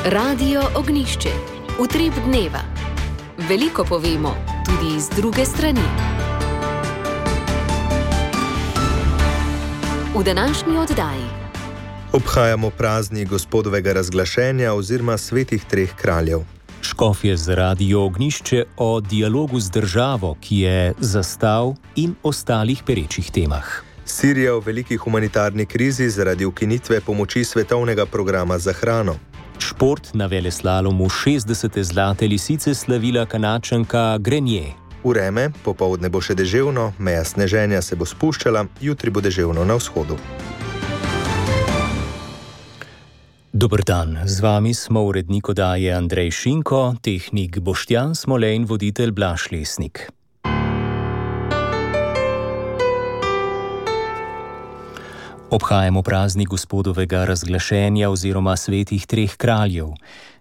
Radio Ognišče, utrip dneva. Veliko povemo, tudi iz druge strani. V današnji oddaji obhajamo praznik Gospodovega razglašenja oziroma svetih treh kraljev. Škofje z Radio Ognišče o dialogu z državo, ki je zastal, in ostalih perečih temah. Sirija v veliki humanitarni krizi zaradi ukinitve pomoči svetovnega programa za hrano. Šport na veleslalomu 60. zlate lisice slavila Kanadčanka Grenier. Vreme, popoldne bo še deževno, meja sneženja se bo spuščala, jutri bo deževno na vzhodu. Dober dan, z vami smo urednik oddaje Andrej Šinko, tehnik Boštjan Smole in voditelj Blaž Lesnik. Obhajamo praznik Gospodovega razglašenja oziroma svetih treh kraljev.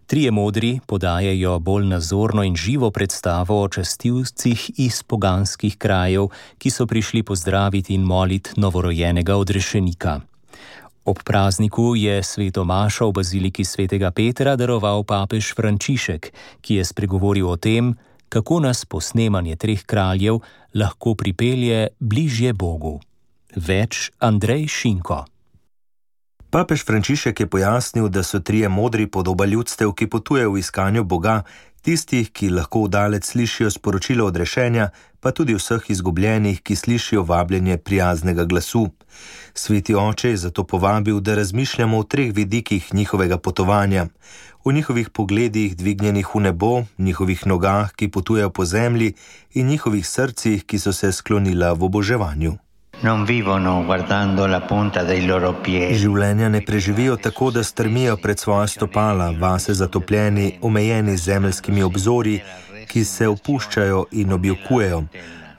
Trije modri podajajo bolj nazorno in živo predstavo o častilcih iz poganskih krajev, ki so prišli pozdraviti in moliti novorojenega odrešenika. Ob prazniku je sveto mašo v baziliki svetega Petra daroval papež Frančišek, ki je spregovoril o tem, kako nas posnemanje treh kraljev lahko pripelje bližje Bogu. Več Andrej Šinko. Papež Frančišek je pojasnil, da so trije modri podoba ljudstev, ki potujejo v iskanju Boga, tistih, ki lahko vdalec slišijo sporočilo odrešenja, pa tudi vseh izgubljenih, ki slišijo vabljenje prijaznega glasu. Sveti oče je zato povabil, da razmišljamo o treh vidikih njihovega potovanja, o njihovih pogledih dvignjenih v nebo, njihovih nogah, ki potujejo po zemlji, in njihovih srcih, ki so se sklonila v oboževanju. Življenja ne preživijo tako, da strmijo pred svoja stopala, vase zatopljeni, omejeni z zemeljskimi obzorji, ki se opuščajo in objokujejo,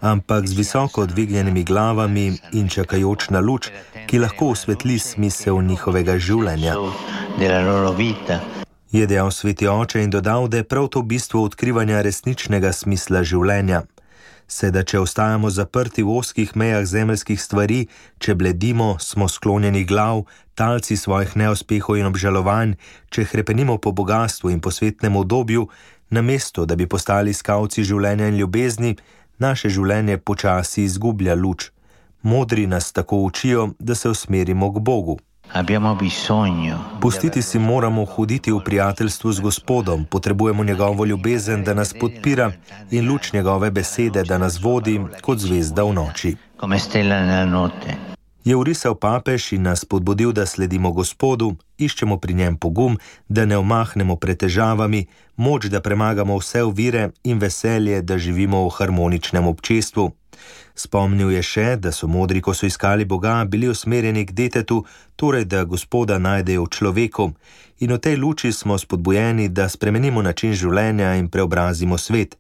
ampak z visoko dvignjenimi glavami in čakajoč na luč, ki lahko osvetli smisel njihovega življenja. Je dejal sveti oče in dodal, da je prav to bistvo odkrivanja resničnega smisla življenja. Sedaj, če ostajamo zaprti v ozkih mejah zemeljskih stvari, če bledimo, smo sklonjeni glav, talci svojih neuspehov in obžalovanj, če hrepenimo po bogastvu in po svetnem udobju, namesto da bi postali iskalci življenja in ljubezni, naše življenje počasi izgublja luč. Modri nas tako učijo, da se usmerimo k Bogu. Pustiti si moramo hoditi v prijateljstvu z Gospodom, potrebujemo njegovo ljubezen, da nas podpira, in luč njegove besede, da nas vodi kot zvezda v noči. Je vrisal papež in nas podbudil, da sledimo Gospodu, iščemo pri njem pogum, da ne omahnemo pred težavami, moč, da premagamo vse ovire in veselje, da živimo v harmoničnem občestvu. Spomnil je še, da so modri, ko so iskali Boga, bili usmerjeni k detetu, torej da Gospoda najdejo v človeku, in v tej luči smo spodbujeni, da spremenimo način življenja in preobrazimo svet.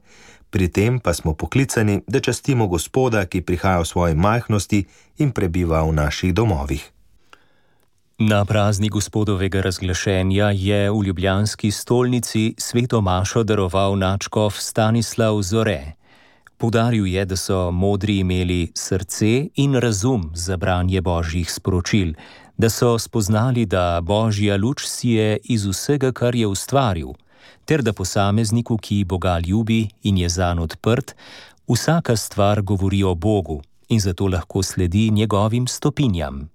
Pri tem pa smo poklicani, da častimo Gospoda, ki prihaja v svoji majhnosti in prebiva v naših domovih. Na praznik Gospodovega razglašenja je v ljubljanski stolnici sveto mašo daroval nadškof Stanislav Zore. Poudaril je, da so modri imeli srce in razum za branje božjih sporočil, da so spoznali, da božja luč sije iz vsega, kar je ustvaril, ter da posamezniku, ki Boga ljubi in je zanj odprt, vsaka stvar govori o Bogu in zato lahko sledi njegovim stopinjam.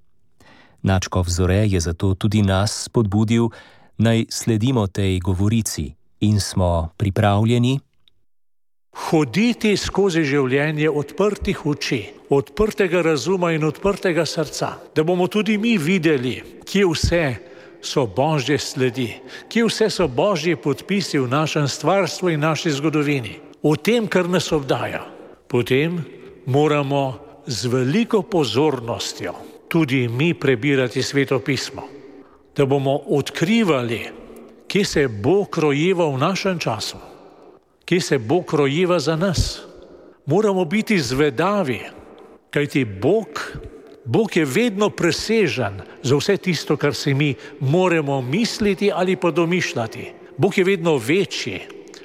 Nadškof Zore je zato tudi nas spodbudil, naj sledimo tej govorici in smo pripravljeni hoditi skozi življenje odprtih oči, odprtega razuma in odprtega srca, da bomo tudi mi videli, kje vse so božje sledi, kje vse so božji podpisi v našem stvarstvu in naši zgodovini, o tem, kar nas obdaja. Potem moramo z veliko pozornostjo tudi mi prebirati Sveto pismo, da bomo odkrivali, kje se Bog rojeva v našem času, kje se Bog rojeva za nas. Moramo biti zvedavi, kajti Bog je vedno presežen za vse tisto, kar si mi moramo misliti ali pa domišljati. Bog je vedno večji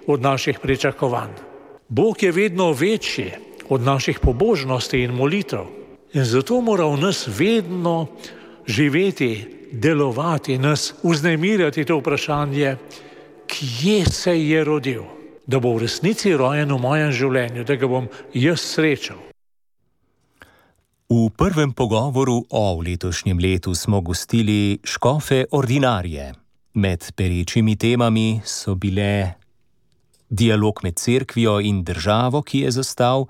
od naših pričakovanj. Bog je vedno večji od naših pobožnosti in molitev. In zato mora v nas vedno živeti delovati, nas vznemirjati to vprašanje, kje se je rodil, da bo v resnici rojen v mojem življenju, da ga bom jaz srečal. V prvem pogovoru o letošnjem letu smo gostili škofe ordinarije. Med perečimi temami so bile dialog med cerkvijo in državo, ki je zastal,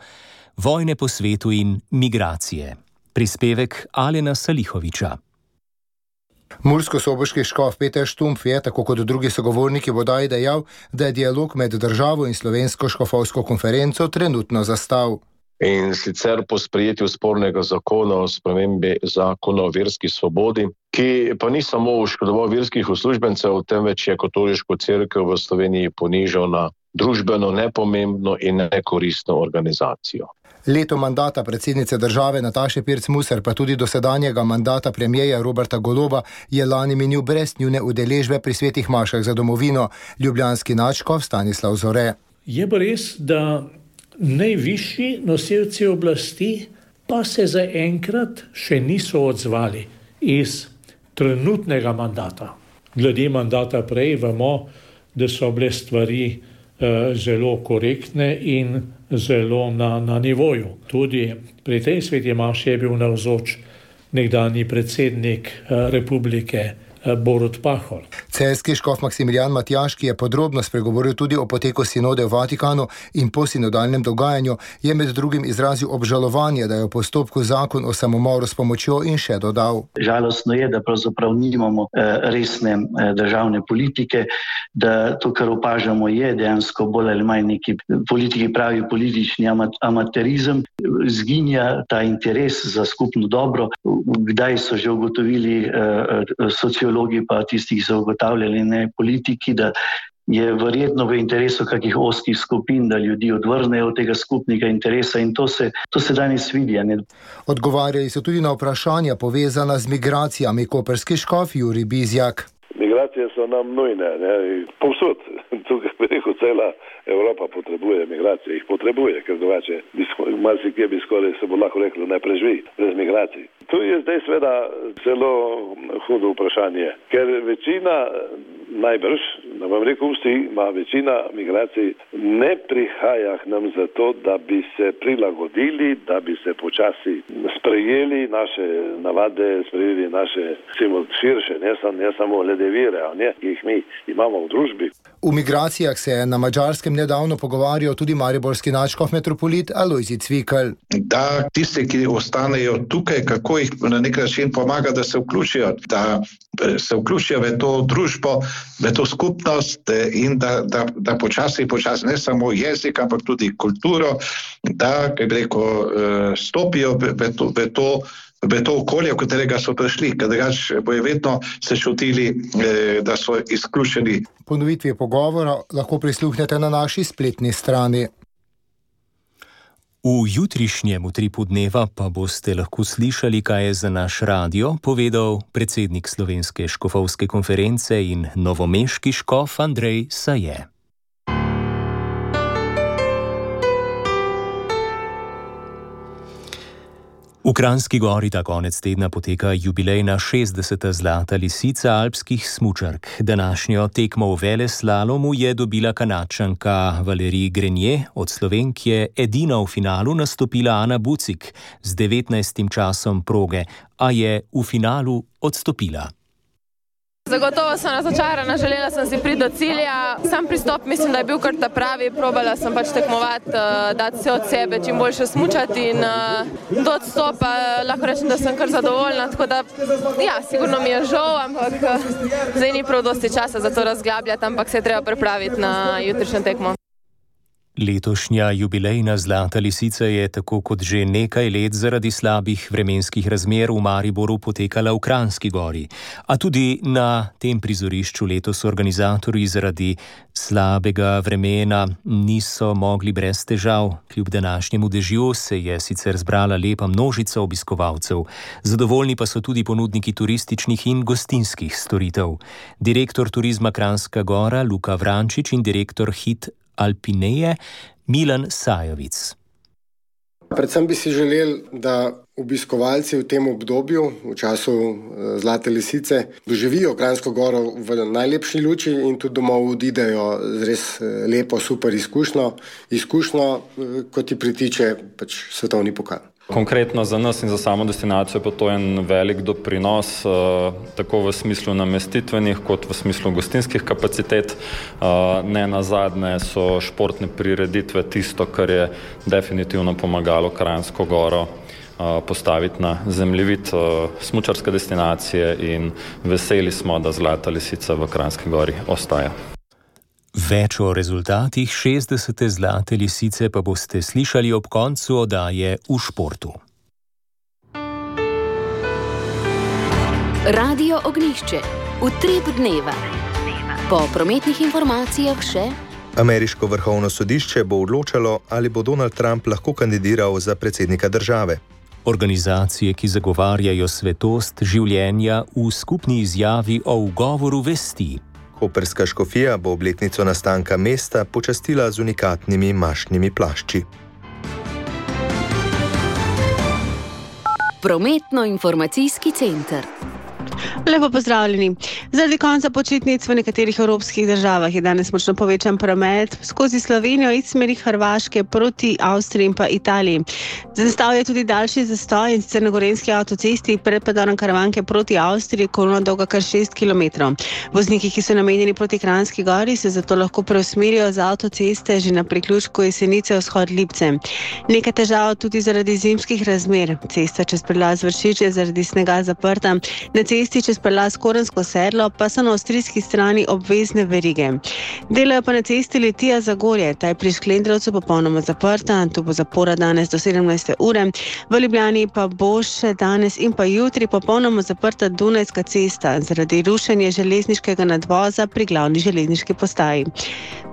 vojne po svetu in migracije. Prispevek Alena Salihoviča. Mursko-soboški škof Peter Štumpf je, tako kot drugi sogovorniki, bodaj dejal, da je dialog med državo in slovensko škofovsko konferenco trenutno zastal. In sicer po sprejetju spornega zakona o spremembi zakona o verski svobodi, ki pa ni samo oškodoval verskih uslužbencev, temveč je katoliško cerkev v Sloveniji ponižal na družbeno nepomembno in nekoristno organizacijo. Leto mandata predsednice države Nataše Pirc Musar, pa tudi dosedanjega mandata premierja Roberta Goloba, je lani minil brez njune udeležbe pri svetih mašah za domovino. Ljubljanski nadškof Stanislav Zore. Je pa res, da najvišji nosilci oblasti pa se zaenkrat še niso odzvali iz trenutnega mandata. Glede mandata prej vemo, da so bile stvari zelo korektne in zelo na nivoju. Tudi pri tej sveti maši je bil navzoč nekdanji predsednik republike Borut Pahor. Celjski škof Maksimilijan Matjaž, ki je podrobno spregovoril tudi o poteku sinode v Vatikanu in posinodalnem dogajanju, je med drugim izrazil obžalovanje, da je v postopku zakon o samomoru s pomočjo in še dodal. Žalostno je, da pravzaprav nimamo resne državne politike, da to, kar opažamo, je dejansko bolj ali manj neki politiki pravi politični amaterizem. Zginja ta interes za skupno dobro. Kdaj so že ugotovili sociologi pa tisti, ki so ugotavljali, ne politiki, da je verjetno v interesu kakih oskih skupin, da ljudi odvrnejo od tega skupnega interesa, in to se danes vidi. Odgovarjali so tudi na vprašanja povezana z migracijami. Koprski škof Jurij Bizjak. Migracije so nam nujne, ne? Povsod. Tukaj preko cela Evropa potrebuje migracije, jih potrebuje, ker drugače marsikje bi skoraj se bo lahko reklo, ne preživi brez migracij. Tu je zdaj seveda zelo hudo vprašanje, ker večina, najbrž, da vam rekel vsi, ima večina migracij ne prihaja k nam zato, da bi se prilagodili, da bi se počasi sprejeli naše navade, sprejeli naše širše, ne samo glede vire, ki jih mi imamo v družbi. V migracijah se je na Madžarskem nedavno pogovarjal tudi mariborski nadškof metropolit Alojzij Cvikl. Da tisti, ki ostanejo tukaj, kako jih na nek način pomaga, da se vključijo, v to družbo, v to skupnost in da počasi, ne samo jezik, ampak tudi kulturo, da, kaj bi rekel, stopijo v to okolje, v katerega so prišli, ker drugače bojo vedno se čutili, da so izključeni. Ponovitvi pogovora lahko prisluhnete na naši spletni strani. V jutrišnjem utripu dneva pa boste lahko slišali, kaj je za naš radio povedal predsednik Slovenske škofovske konference in novomeški škof Andrej Saje. V Kranjski Gori ta konec tedna poteka jubilejna 60. zlata lisica alpskih smučark. Današnjo tekmo v veleslalomu je dobila Kanadčanka Valerij Grenier, od Slovenk je edina v finalu nastopila Ana Bucik z 19. časom proge, a je v finalu odstopila. Zagotovo sem razočarana, želela sem si priti do cilja. Sam pristop mislim, da je bil kar ta pravi. Probala sem pač tekmovati, dati vse od sebe, čim boljše smučati in do odstopa lahko rečem, da sem kar zadovoljna. Tako da, ja, sigurno mi je žal, ampak zdaj ni prav dosti časa za to razglabljati, ampak se je treba pripraviti na jutrišnjo tekmo. Letošnja jubilejna zlata lisica je tako kot že nekaj let zaradi slabih vremenskih razmer v Mariboru potekala v Kranjski Gori. A tudi na tem prizorišču letos organizatorji zaradi slabega vremena niso mogli brez težav. Kljub današnjemu dežju se je sicer zbrala lepa množica obiskovalcev. Zadovoljni pa so tudi ponudniki turističnih in gostinskih storitev. Direktor turizma Kranjska Gora Luka Vrančič in direktor Hit Alpineje Milan Sajovic. Predvsem bi si želeli, da obiskovalci v tem obdobju, v času Zlate lisice, doživijo Kranjsko goro v najlepši luči in tudi domov odidejo z res lepo, super izkušnjo, kot ti pritiče svetovni pokal. Konkretno za nas in za samo destinacijo pa to je en velik doprinos, tako v smislu namestitvenih kot v smislu gostinskih kapacitet. Ne nazadnje so športne prireditve tisto, kar je definitivno pomagalo Kranjsko goro postaviti na zemljevid smučarske destinacije in veseli smo, da Zlata lisica v Kranjski gori ostaja. Več o rezultatih 60. Zlate lisice pa boste slišali ob koncu oddaje V športu. Radio Ognjišče. Utrip dneva. Po prometnih informacijah še: Ameriško vrhovno sodišče bo odločalo, ali bo Donald Trump lahko kandidiral za predsednika države. Organizacije, ki zagovarjajo svetost življenja, v skupni izjavi o ugovoru vesti. Koprska škofija bo obletnico nastanka mesta počastila z unikatnimi mašnimi plašči. Prometno-informacijski center. Lepo pozdravljeni. Zaradi konca počitnic v nekaterih evropskih državah je danes močno povečan promet skozi Slovenijo iz smeri Hrvaške proti Avstriji in pa Italiji. Zastal je tudi daljši zastoj in sicer na Gorenjski avtocesti pred predorom Karavanke proti Avstriji, kolona dolga kar 6 km. Vozniki, ki so namenjeni proti Kranjski gori, se zato lahko preusmerijo z avtoceste že na priključku Jesenice vzhod Lipce. Nekaj težav tudi zaradi zimskih razmer. Cesta čez prelaz Vršič je zaradi snega zaprta. Na cesti čez prelaz Korensko sedlo pa so na avstrijski strani obvezne verige. Delajo pa na cesti Litija-Zagorje, ta je pri Šklendrovcu popolnoma zaprta, tu bo zapora danes do 17. ure. V Ljubljani pa bo še danes in pa jutri popolnoma zaprta Dunajska cesta zaradi rušenja železniškega nadvoza pri glavni železniški postaji.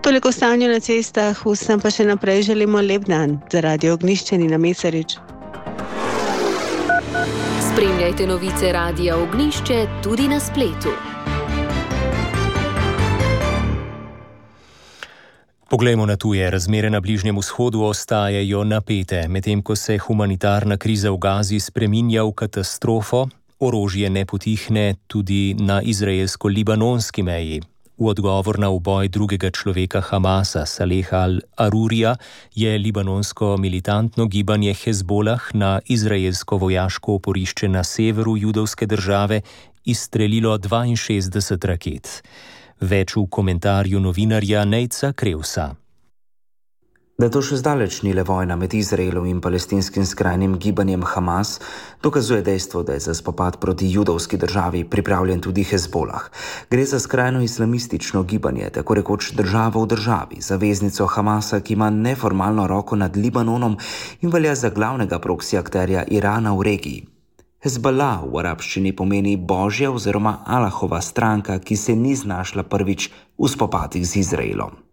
Toliko o stanju na cestah, vsem pa še naprej želimo lep dan. Za Radio Ognjišče Nina Mesarič. Spremljajte novice Radia Ognjišče tudi na spletu. Poglejmo na tuje. Razmere na Bližnjem vzhodu ostajajo napete, medtem ko se humanitarna kriza v Gazi spreminja v katastrofo, orožje ne potihne tudi na izraelsko-libanonski meji. V odgovor na uboj drugega človeka Hamasa, Saleha al-Arurija, je libanonsko militantno gibanje Hezbolah na izraelsko vojaško oporišče na severu judovske države izstrelilo 62 raket. Več v komentarju novinarja Nejca Krevsa. Da to še zdaleč ni le vojna med Izraelom in palestinskim skrajnim gibanjem Hamas, dokazuje dejstvo, da je za spopad proti judovski državi pripravljen tudi Hezbolah. Gre za skrajno islamistično gibanje, tako rekoč državo v državi, zaveznico Hamasa, ki ima neformalno roko nad Libanonom in velja za glavnega proksi akterja Irana v regiji. Hezbollah v arabščini pomeni Božja oziroma Alahova stranka, ki se ni znašla prvič v spopadih z Izraelom.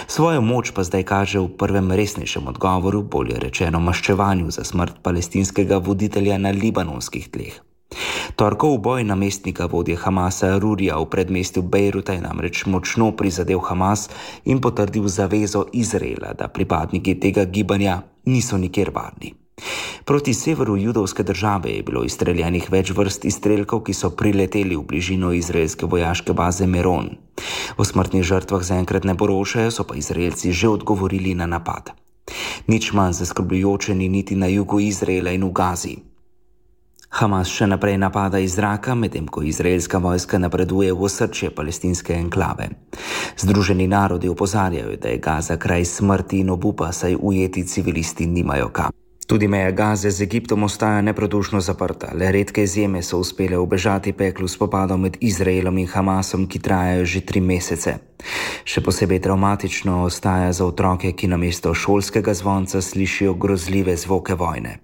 Svojo moč pa zdaj kaže v prvem resnejšem odgovoru, bolje rečeno maščevanju za smrt palestinskega voditelja na libanonskih tleh. Torkov boj namestnika vodje Hamasa Arurija v predmestju Bejruta je namreč močno prizadel Hamas in potrdil zavezo Izraela, da pripadniki tega gibanja niso nikjer varni. Proti severu judovske države je bilo izstreljenih več vrst izstrelkov, ki so prileteli v bližino izraelske vojaške baze Meron. O smrtnih žrtvah zaenkrat ne poročajo, so pa Izraelci že odgovorili na napad. Nič manj zaskrbljujoče ni niti na jugu Izraela in v Gazi. Hamas še naprej napada iz zraka, medtem ko izraelska vojska napreduje v osrčje palestinske enklave. Združeni narodi opozarjajo, da je Gaza kraj smrti in obupa, saj ujeti civilisti nimajo kam. Tudi meja Gaze z Egiptom ostaja neprodušno zaprta, le redke izjeme so uspele ubežati peklu spopadov med Izraelom in Hamasom, ki trajajo že 3 mesece. Še posebej travmatično ostaja za otroke, ki namesto šolskega zvonca slišijo grozljive zvoke vojne.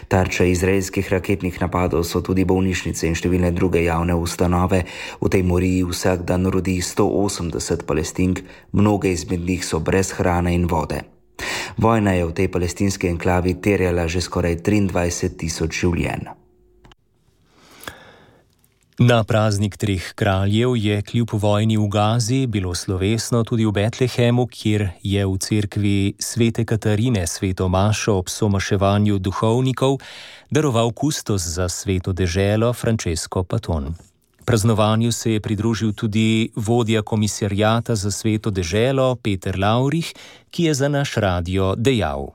Tarča izraelskih raketnih napadov so tudi bolnišnice in številne druge javne ustanove. V tej moriji vsak dan rodi 180 Palestink, mnoge izmed njih so brez hrane in vode. Vojna je v tej palestinski enklavi terjala že skoraj 23 tisoč življenj. Na praznik treh kraljev je kljub vojni v Gazi bilo slovesno tudi v Betlehemu, kjer je v cerkvi svete Katarine sveto mašo ob somaševanju duhovnikov daroval kustos za sveto deželo Francesco Paton. Praznovanju se je pridružil tudi vodja komisariata za sveto deželo Peter Laurich, ki je za naš radio dejal.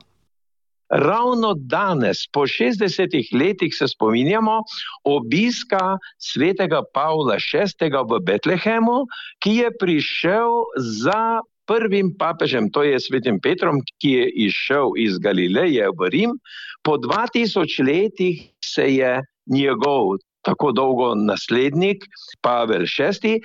Ravno danes, po 60 letih, se spominjamo obiska svetega Pavla VI. V Betlehemu, ki je prišel za prvim papežem, to je svetim Petrom, ki je izšel iz Galileje v Rim. Po 2000 letih se je njegov tako dolgo naslednik Pavel VI.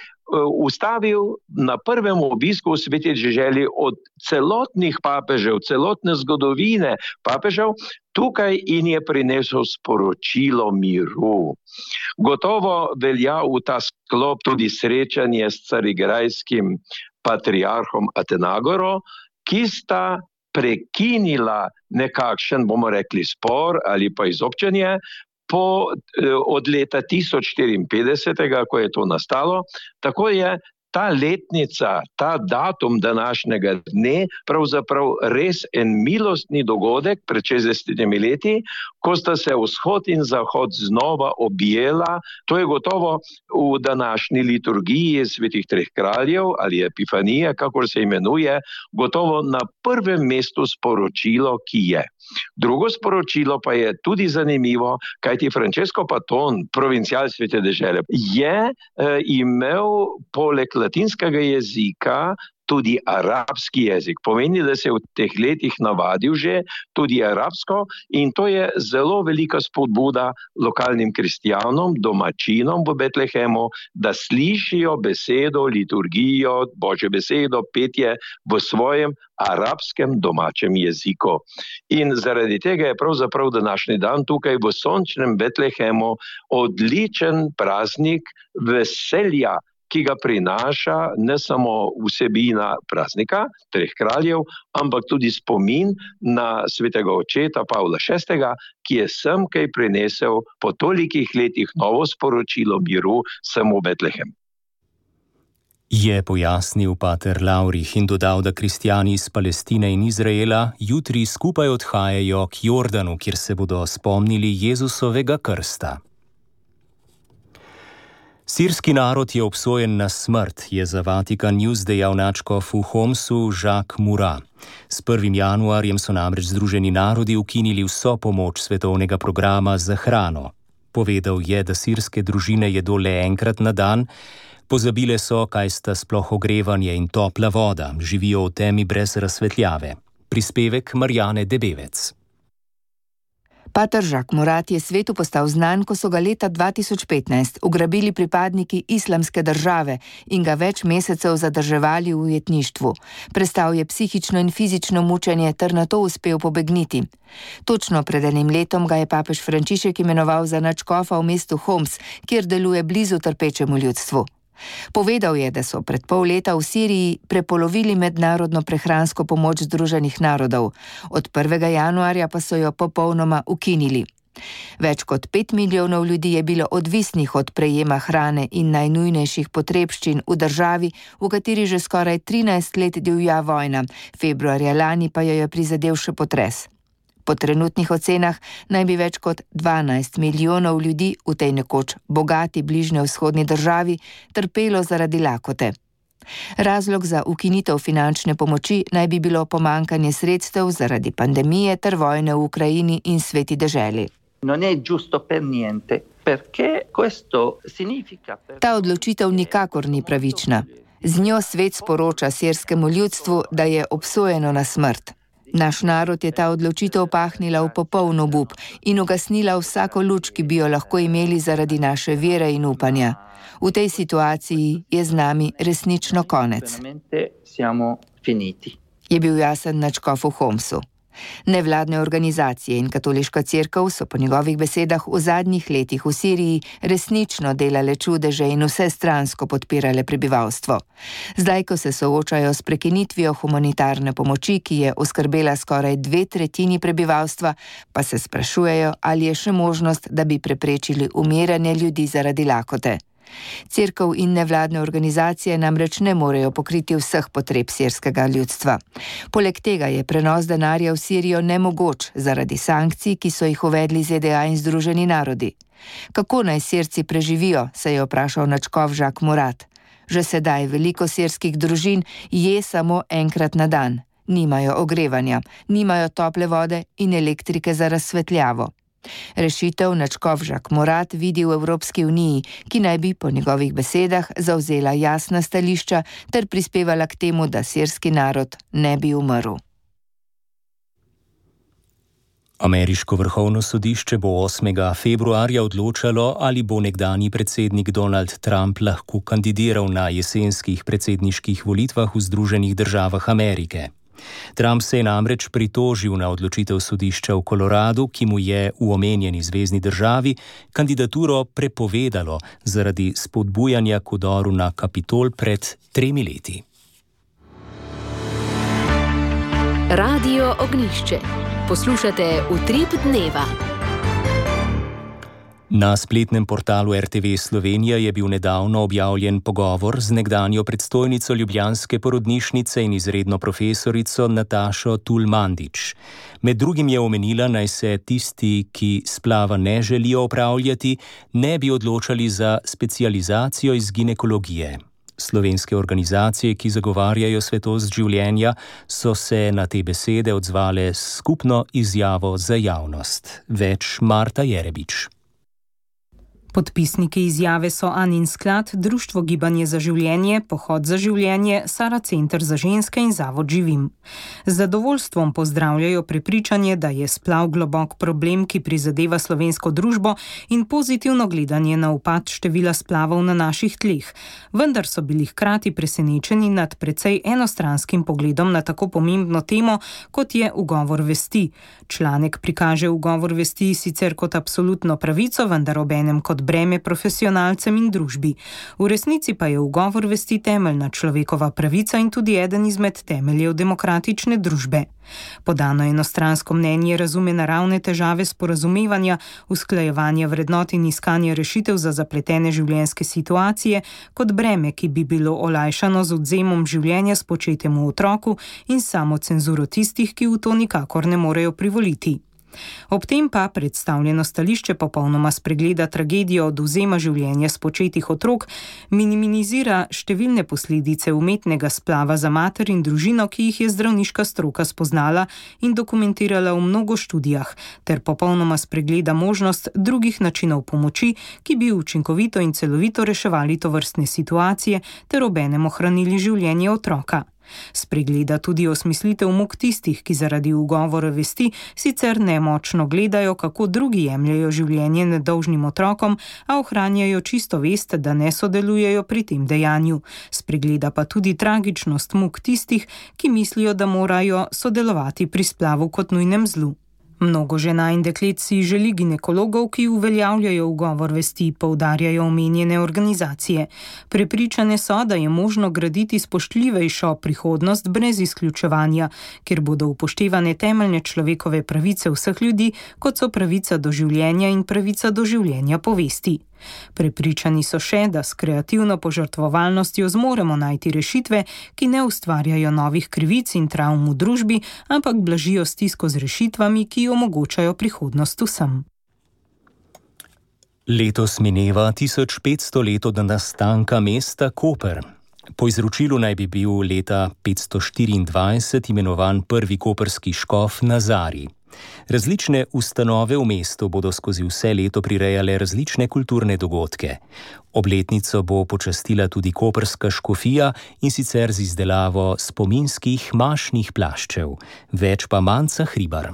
Ustavil na prvem obisku v sveti deželi od celotnih papežev, celotne zgodovine papežev tukaj in je prinesel sporočilo miru. Gotovo velja v ta sklop tudi srečanje s carigrajskim patriarhom Atenagoro, ki sta prekinila nekakšen, bomo rekli, spor ali pa izobčenje od leta 1054, ko je to nastalo. Tako je ta letnica, ta datum današnjega dne pravzaprav res en milostni dogodek pred 60 leti, ko sta se vzhod in zahod znova objela. To je gotovo v današnji liturgiji svetih treh kraljev ali Epifanije, kakor se imenuje, gotovo na prvem mestu sporočilo, ki je. Drugo sporočilo pa je tudi zanimivo, kajti Francesco Paton, provincial svete dežele, je imel poleg latinskega jezika tudi arabski jezik. Pomeni, da se je v teh letih navadil že tudi arabsko in to je zelo velika spodbuda lokalnim kristjanom, domačinom v Betlehemu, da slišijo besedo, liturgijo, Božjo besedo, petje v svojem arabskem domačem jeziku. In zaradi tega je pravzaprav današnji dan tukaj v sončnem Betlehemu odličen praznik veselja, ki ga prinaša ne samo vsebina praznika treh kraljev, ampak tudi spomin na svetega očeta Pavla VI., ki je semkaj prinesel po tolikih letih novo sporočilo miru sem v Betlehem. Je pojasnil pater Laurich in dodal, da kristjani iz Palestine in Izraela jutri skupaj odhajajo k Jordanu, kjer se bodo spomnili Jezusovega krsta. Sirski narod je obsojen na smrt, je za Vatikan News dejal nadškof v Homsu Jacques Murat. S 1. januarjem so namreč Združeni narodi ukinili vso pomoč svetovnega programa za hrano. Povedal je, da sirske družine jedo le enkrat na dan, pozabile so, kaj sta sploh ogrevanje in topla voda, živijo v temi brez razsvetljave. Prispevek Marjane Debevec. Pater Jacques Murat je svetu postal znan, ko so ga leta 2015 ugrabili pripadniki Islamske države in ga več mesecev zadrževali v ujetništvu. Prestal je psihično in fizično mučenje ter nato uspel pobegniti. Točno pred enim letom ga je papež Frančišek imenoval za nadškofa v mestu Homs, kjer deluje blizu trpečemu ljudstvu. Povedal je, da so pred pol leta v Siriji prepolovili mednarodno prehransko pomoč Združenih narodov. Od 1. januarja pa so jo popolnoma ukinili. Več kot 5 milijonov ljudi je bilo odvisnih od prejema hrane in najnujnejših potrebščin v državi, v kateri že skoraj 13 let divja vojna, februarja lani pa jo je prizadel še potres. Po trenutnih ocenah naj bi več kot 12 milijonov ljudi v tej nekoč bogati bližnjevzhodni državi trpelo zaradi lakote. Razlog za ukinitev finančne pomoči naj bi bilo pomanjkanje sredstev zaradi pandemije ter vojne v Ukrajini in sveti deželi. Ta odločitev nikakor ni pravična. Z njo svet sporoča sirskemu ljudstvu, da je obsojeno na smrt. Naš narod je ta odločitev pahnila v popoln obup in ugasnila vsako luč, ki bi jo lahko imeli zaradi naše vere in upanja. V tej situaciji je z nami resnično konec. Je bil jasen nadškof v Homsu. Nevladne organizacije in katoliška cerkev so po njegovih besedah v zadnjih letih v Siriji resnično delale čudeže in vsestransko podpirale prebivalstvo. Zdaj, ko se soočajo s prekinitvijo humanitarne pomoči, ki je oskrbela skoraj 2/3 prebivalstva, pa se sprašujejo, ali je še možnost, da bi preprečili umiranje ljudi zaradi lakote. Cerkev in nevladne organizacije namreč ne morejo pokriti vseh potreb sirskega ljudstva. Poleg tega je prenos denarja v Sirijo nemogoč zaradi sankcij, ki so jih uvedli ZDA in Združeni narodi. Kako naj Sirci preživijo, se je vprašal nadškof Jacques Murat. Že sedaj veliko sirskih družin je samo enkrat na dan. Nimajo ogrevanja, nimajo tople vode in elektrike za razsvetljavo. Rešitev nadškof Jacques Murat vidi v Evropski uniji, ki naj bi po njegovih besedah zavzela jasna stališča ter prispevala k temu, da sirski narod ne bi umrl. Ameriško vrhovno sodišče bo 8. februarja odločalo, ali bo nekdanji predsednik Donald Trump lahko kandidiral na jesenskih predsedniških volitvah v Združenih državah Amerike. Trump se je namreč pritožil na odločitev sodišča v Koloradu, ki mu je v omenjeni zvezni državi kandidaturo prepovedalo zaradi spodbujanja k vdoru na Kapitol pred 3 leti. Radio Ognjišče. Poslušate Utrip dneva. Na spletnem portalu RTV Slovenija je bil nedavno objavljen pogovor z nekdanjo predstojnico ljubljanske porodnišnice in izredno profesorico Natašo Tul-Mandić. Med drugim je omenila, naj se tisti, ki splava ne želijo opravljati, ne bi odločali za specializacijo iz ginekologije. Slovenske organizacije, ki zagovarjajo svetost življenja, so se na te besede odzvale s skupno izjavo za javnost. Več Marta Jerebič. Podpisniki izjave so Anin sklad, Društvo Gibanje za življenje, Pohod za življenje, Sara Center za ženske in Zavod Živim. Z zadovoljstvom pozdravljajo prepričanje, da je splav globok problem, ki prizadeva slovensko družbo, in pozitivno gledanje na upad števila splavov na naših tleh. Vendar so bili hkrati presenečeni nad precej enostranskim pogledom na tako pomembno temo, kot je ugovor vesti. Članek prikaže ugovor vesti sicer kot absolutno pravico, vendar obenem kot breme profesionalcem in družbi. V resnici pa je ugovor vesti temeljna človekova pravica in tudi eden izmed temeljev demokratične družbe. Podano enostransko mnenje razume naravne težave sporazumevanja, usklajevanja vrednot in iskanja rešitev za zapletene življenjske situacije kot breme, ki bi bilo olajšano z odvzemom življenja spočetemu otroku in samo cenzuro tistih, ki v to nikakor ne morejo privoliti. Ob tem pa predstavljeno stališče popolnoma spregleda tragedijo odvzema življenja spočetih otrok, minimizira številne posledice umetnega splava za mater in družino, ki jih je zdravniška stroka spoznala in dokumentirala v mnogo študijah, ter popolnoma spregleda možnost drugih načinov pomoči, ki bi učinkovito in celovito reševali tovrstne situacije ter obenem ohranili življenje otroka. Spregleda tudi osmislitev muk tistih, ki zaradi ugovora vesti sicer nemočno gledajo, kako drugi jemljajo življenje nedolžnim otrokom, a ohranjajo čisto vest, da ne sodelujejo pri tem dejanju. Spregleda pa tudi tragičnost muk tistih, ki mislijo, da morajo sodelovati pri splavu kot nujnem zlu. Mnogo žena in deklet si želi ginekologov, ki uveljavljajo ugovor vesti, poudarjajo omenjene organizacije. Prepričane so, da je možno graditi spoštljivejšo prihodnost brez izključevanja, kjer bodo upoštevane temeljne človekove pravice vseh ljudi, kot so pravica do življenja in pravica do življenja po vesti. Prepričani so še, da s kreativno požrtvovalnostjo zmoremo najti rešitve, ki ne ustvarjajo novih krivic in travm v družbi, ampak blažijo stisko z rešitvami, ki omogočajo prihodnost vsem. Letos mineva 1500 let od nastanka mesta Koper. Po izročilu naj bi bil leta 524 imenovan prvi koprski škof Nazarij. Različne ustanove v mestu bodo skozi vse leto prirejale različne kulturne dogodke. Obletnico bo počastila tudi koprska škofija, in sicer z izdelavo spominskih mašnih plaščev. Več pa Manca Hribar.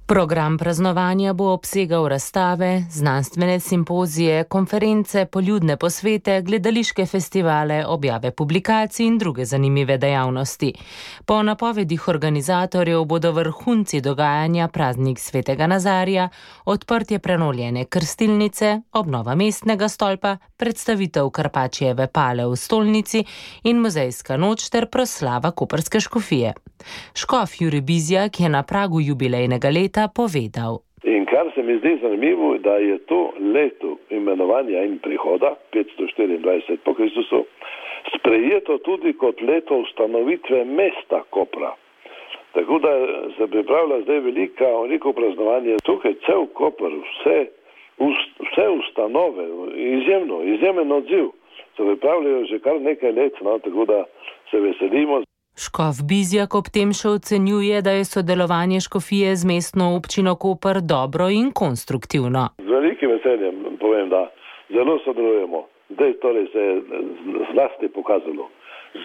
Program praznovanja bo obsegal razstave, znanstvene simpozije, konference, poljudne posvete, gledališke festivale, objave publikacij in druge zanimive dejavnosti. Po napovedih organizatorjev bodo vrhunci dogajanja praznik Svetega Nazarija, odprtje prenovljene krstilnice, obnova mestnega stolpa, predstavitev Karpačjeve pale v stolnici in muzejska noč ter proslava koprske škofije. Škof Jurij Bizjak je na pragu jubilejnega leta povedal. In kar se mi zdi zanimivo, da je to leto imenovanja in prihoda 524 po Kristusu sprejeto tudi kot leto ustanovitve mesta Kopra. Tako da se pripravlja zdaj veliko praznovanje. Tukaj cel Koper, vse ustanove, izjemen odziv se pripravljajo že kar nekaj let, tako da se veselimo. Škof Bizjak ob tem še ocenjuje, da je sodelovanje škofije z mestno občino Koper dobro in konstruktivno. Z velikim veseljem povem, da zelo sodelujemo. Zdaj torej se je zlasti pokazalo.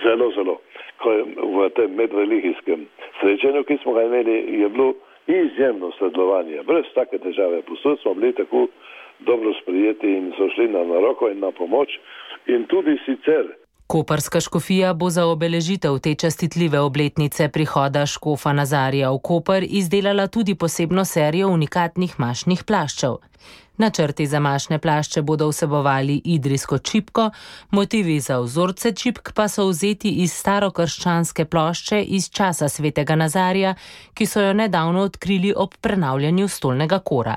Zelo. Ko je v tem medreligijskem srečanju, ki smo ga imeli, je bilo izjemno sodelovanje. Brez take težave. Posod smo bili tako dobro sprijeti in so šli na roko in na pomoč. In tudi sicer. Koprska škofija bo za obeležitev te častitljive obletnice prihoda škofa Nazarija v Koper izdelala tudi posebno serijo unikatnih mašnih plaščev. Načrti za mašne plašče bodo vsebovali idrijsko čipko, motivi za vzorce čipk pa so vzeti iz starokrščanske plošče iz časa Svetega Nazarija, ki so jo nedavno odkrili ob prenavljanju stolnega kora.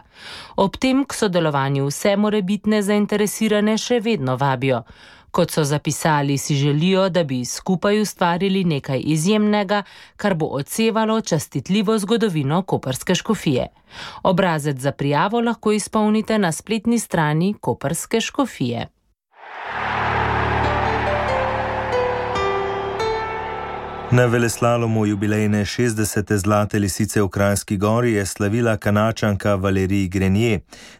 Ob tem k sodelovanju vse morebitne zainteresirane še vedno vabijo. Kot so zapisali, si želijo, da bi skupaj ustvarili nekaj izjemnega, kar bo odsevalo častitljivo zgodovino koprske škofije. Obrazec za prijavo lahko izpolnite na spletni strani koprske škofije. Na veleslalomu jubilejne 60. zlate lisice v Kranjski Gori je slavila Kanačanka Valerij Grenier.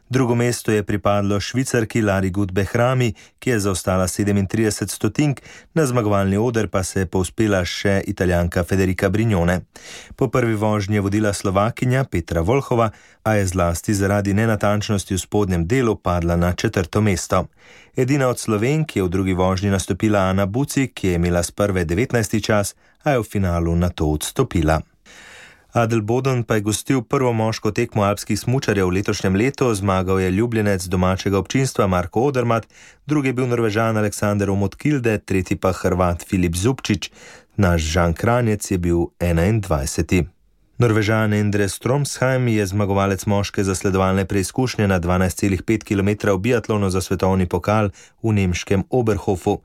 Drugo mesto je pripadlo Švicarki Lari Gut Behrami, ki je zaostala 37 stotink, na zmagovalni oder pa se je povzpela še Italijanka Federica Brignone. Po prvi vožnji je vodila Slovakinja Petra Volhova, a je zlasti zaradi nenatančnosti v spodnjem delu padla na 4. mesto. Edina od Slovenk je v drugi vožnji nastopila Ana Buci, ki je imela s prve 19. čas, a je v finalu na to odstopila. Adelboden pa je gostil prvo moško tekmo alpskih smučarjev v letošnjem letu, zmagal je ljubljenec domačega občinstva Marko Odermatt, drugi je bil Norvežan Aleksander Omotkilde, tretji pa Hrvat Filip Zubčić, naš Žan Kranjec je bil 21. Norvežan Endre Stromsheim je zmagovalec moške zasledovalne preizkušnje na 12,5 km v biatlonu za svetovni pokal v nemškem Oberhofu.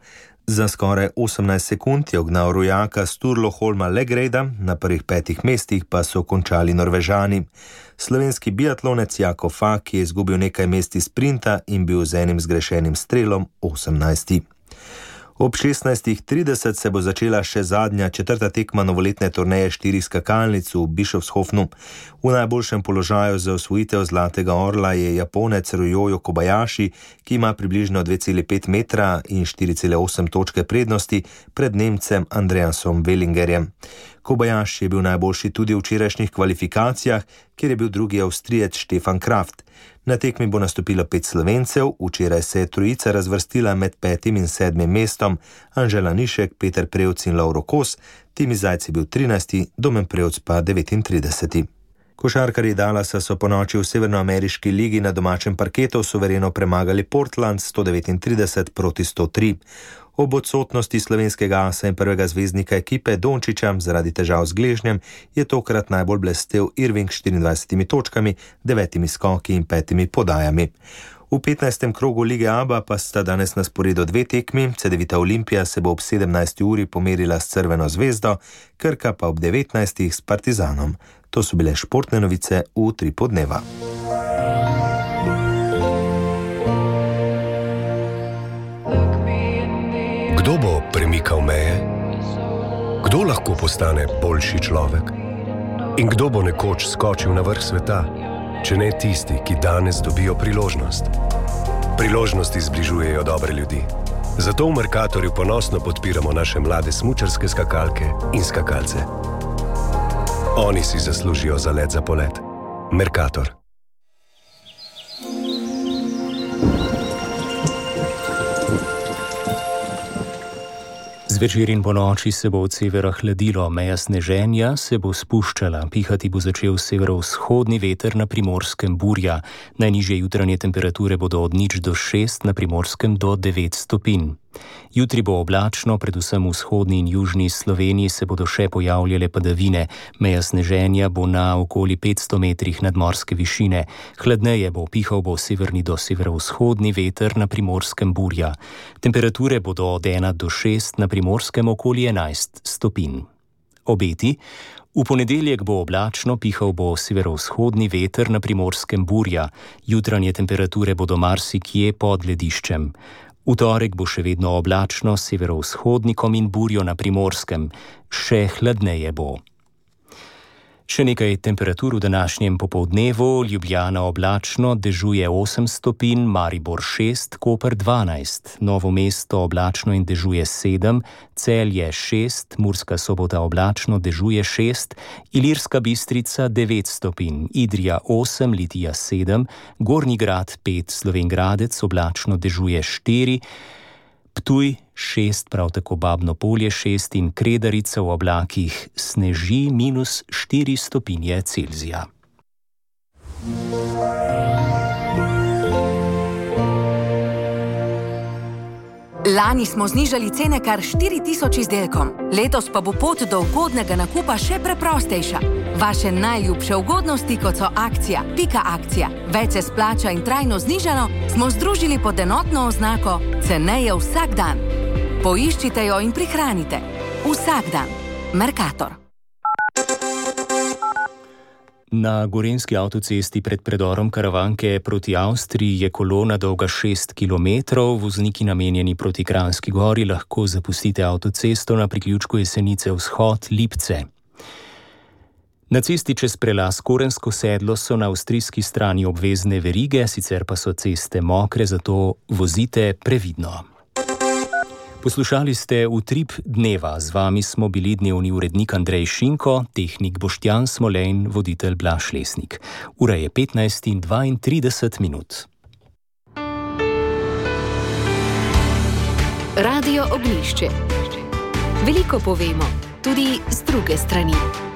Za skoraj 18 sekund je ognal rojaka Sturlo Holma Legrejda, na prvih 5 mestih pa so končali Norvežani. Slovenski biatlonec Jako Fak je izgubil nekaj mest iz sprinta in bil z enim zgrešenim strelom 18. Ob 16:30 se bo začela še zadnja četrta tekma novoletne turneje 4 skakalnic v Bischofshofnu. V najboljšem položaju za osvojitev zlatega orla je Japonec Ryoyo Kobayashi, ki ima približno 2,5 metra in 4,8 točke prednosti pred Nemcem Andreasom Wellingerjem. Kobayashi je bil najboljši tudi v včerajšnjih kvalifikacijah, kjer je bil drugi Avstrijec Stefan Kraft. Na tekmi bo nastopilo 5 Slovencev, včeraj se je trojica razvrstila med 5. in 7. mestom, Anžela Nišek, Peter Prevc in Lovro Kos, Timi Zajc je bil 13., Domen Prevc pa 39. Košarkarji Dallasa so po noči v severnoameriški ligi na domačem parketu suvereno premagali Portland 139-103. Ob odsotnosti slovenskega asa in prvega zvezdnika ekipe Dončića zaradi težav z gležnjem je tokrat najbolj blestel Irving s 24 točkami, 9 skoki in 5 podajami. V 15. krogu lige ABA pa sta danes na sporedu 2 tekmi, Cedevita Olimpija se bo ob 17. uri pomerila s Crveno zvezdo, Krka pa ob 19. s Partizanom. To so bile športne novice v 3 podneva. Kdo bo premikal meje? Kdo lahko postane boljši človek? In kdo bo nekoč skočil na vrh sveta, če ne tisti, ki danes dobijo priložnost? Priložnosti zbližujejo dobre ljudi. Zato v Mercatorju ponosno podpiramo naše mlade smučarske skakalke in skakalce. Oni si zaslužijo zalet za polet. Mercator. Zvečer in po noči se bo od severa hladilo, meja sneženja se bo spuščala, pihati bo začel severovzhodni veter, na Primorskem burja. Najnižje jutranje temperature bodo od 0 do 6, na Primorskem do 9 stopinj. Jutri bo oblačno, predvsem v vzhodni in južni Sloveniji se bodo še pojavljale padavine. Meja sneženja bo na okoli 500 metrih nadmorske višine. Hladneje bo, pihal bo severni do severovzhodni veter, na Primorskem burja. Temperature bodo od 1 do 6, na Primorskem okoli 11 stopinj. Obeti. V ponedeljek bo oblačno, pihal bo severovzhodni veter, na Primorskem burja. Jutranje temperature bodo marsikje pod lediščem. V torek bo še vedno oblačno, s severovzhodnikom in burjo na Primorskem. Še hladneje bo. Še nekaj temperatur v današnjem popoldnevu. Ljubljana oblačno, dežuje 8 stopinj, Maribor 6, Koper 12, Novo mesto oblačno in dežuje 7, Celje 6, Murska Sobota oblačno, dežuje 6, Ilirska Bistrica 9 stopinj, Idrija 8, Litija 7, Gornji Grad 5, Slovenj Gradec oblačno, dežuje 4, Ptuj 6, prav tako Babno Polje 6 in Kredarica v oblakih sneži -4 stopinje Celzija. Lani smo znižali cene kar 4000 izdelkom, letos pa bo pot do ugodnega nakupa še preprostejša. Vaše najljubše ugodnosti, kot so akcija, pika akcija, več se splača in trajno znižano, smo združili pod enotno oznako ceneje vsak dan. Poiščite jo in prihranite. Vsak dan. Mercator. Na gorenjski avtocesti pred predorom Karavanke proti Avstriji je kolona dolga 6 km. Vozniki namenjeni proti Kranjski Gori lahko zapustite avtocesto na priključku Jesenice vzhod Lipce. Na cesti čez prelaz Korensko sedlo so na avstrijski strani obvezne verige, sicer pa so ceste mokre, zato vozite previdno. Poslušali ste Utrip dneva, z vami smo bili dnevni urednik Andrej Šinko, tehnik Boštjan Smolejn, voditelj Blaž Lesnik. Ura je 15:32. Radio Oglišče. Veliko povemo, tudi z druge strani.